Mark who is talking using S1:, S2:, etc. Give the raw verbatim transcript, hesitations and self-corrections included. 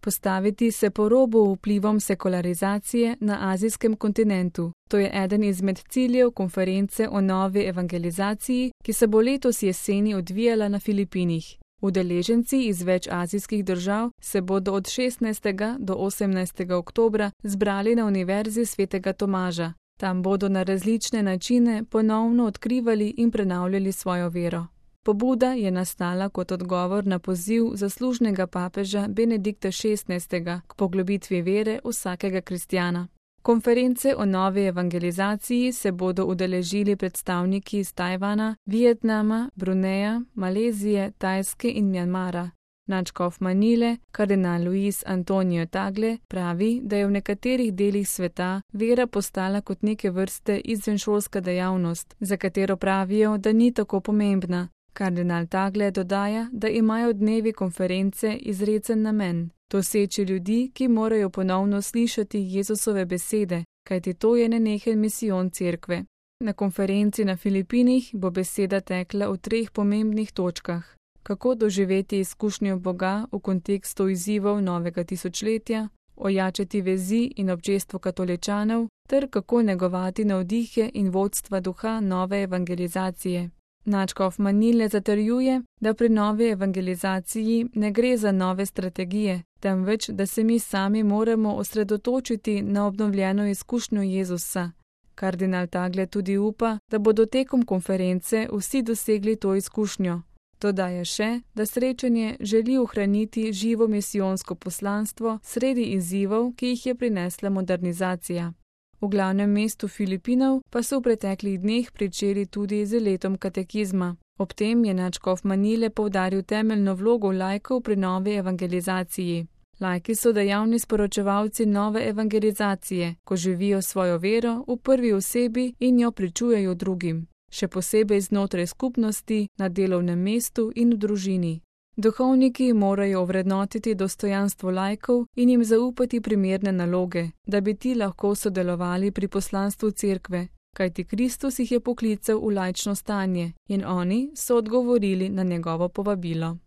S1: Postaviti se po robu vplivom sekularizacije na azijskem kontinentu. To je eden izmed ciljev konference o novi evangelizaciji, ki se bo letos jeseni odvijala na Filipinih. Udeleženci iz več azijskih držav se bodo od šestnajstega do osemnajstega oktobra zbrali na Univerzi svetega Tomaža. Tam bodo na različne načine ponovno odkrivali in prenavljali svojo vero. Pobuda je nastala kot odgovor na poziv zaslužnega papeža Benedikta šestnajstega k poglobitvi vere vsakega kristjana. Konference o novi evangelizaciji se bodo udeležili predstavniki iz Tajvana, Vietnama, Bruneja, Malezije, Tajske in Mjanmara. Nadškof Manile, kardinal Luis Antonio Tagle, pravi, da je v nekaterih delih sveta vera postala kot neke vrste izvenšolska dejavnost, za katero pravijo, da ni tako pomembna. Kardinal Tagle dodaja, da imajo dnevi konference izrecen namen. Doseči ljudi, ki morajo ponovno slišati Jezusove besede, kajti to je nenehen misijon cerkve. Na konferenci na Filipinih bo beseda tekla v treh pomembnih točkah. Kako doživeti izkušnjo Boga v kontekstu izzivov novega tisočletja, ojačati vezi in občestvo katoličanov, ter kako negovati navdihe in vodstva duha nove evangelizacije. Nadškof Manile zatrjuje, da pri novi evangelizaciji ne gre za nove strategije, temveč da se mi sami moramo osredotočiti na obnovljeno izkušnjo Jezusa. Kardinal Tagle tudi upa, da bodo tekom konference vsi dosegli to izkušnjo. Dodaja še, da srečanje želi ohraniti živo misijonsko poslanstvo sredi izzivov, ki jih je prinesla modernizacija. V glavnem mestu Filipinov pa so v preteklih dneh pričeli tudi z letom katekizma. Ob tem je nadškof Manile poudaril temeljno vlogo laikov pri novi evangelizaciji. Laiki so dejavni sporočevalci nove evangelizacije, ko živijo svojo vero v prvi osebi in jo pričujejo drugim, še posebej znotraj skupnosti, na delovnem mestu in v družini. Duhovniki morajo ovrednotiti dostojanstvo laikov in jim zaupati primerne naloge, da bi ti lahko sodelovali pri poslanstvu cerkve, kajti Kristus jih je poklical v laično stanje in oni so odgovorili na njegovo povabilo.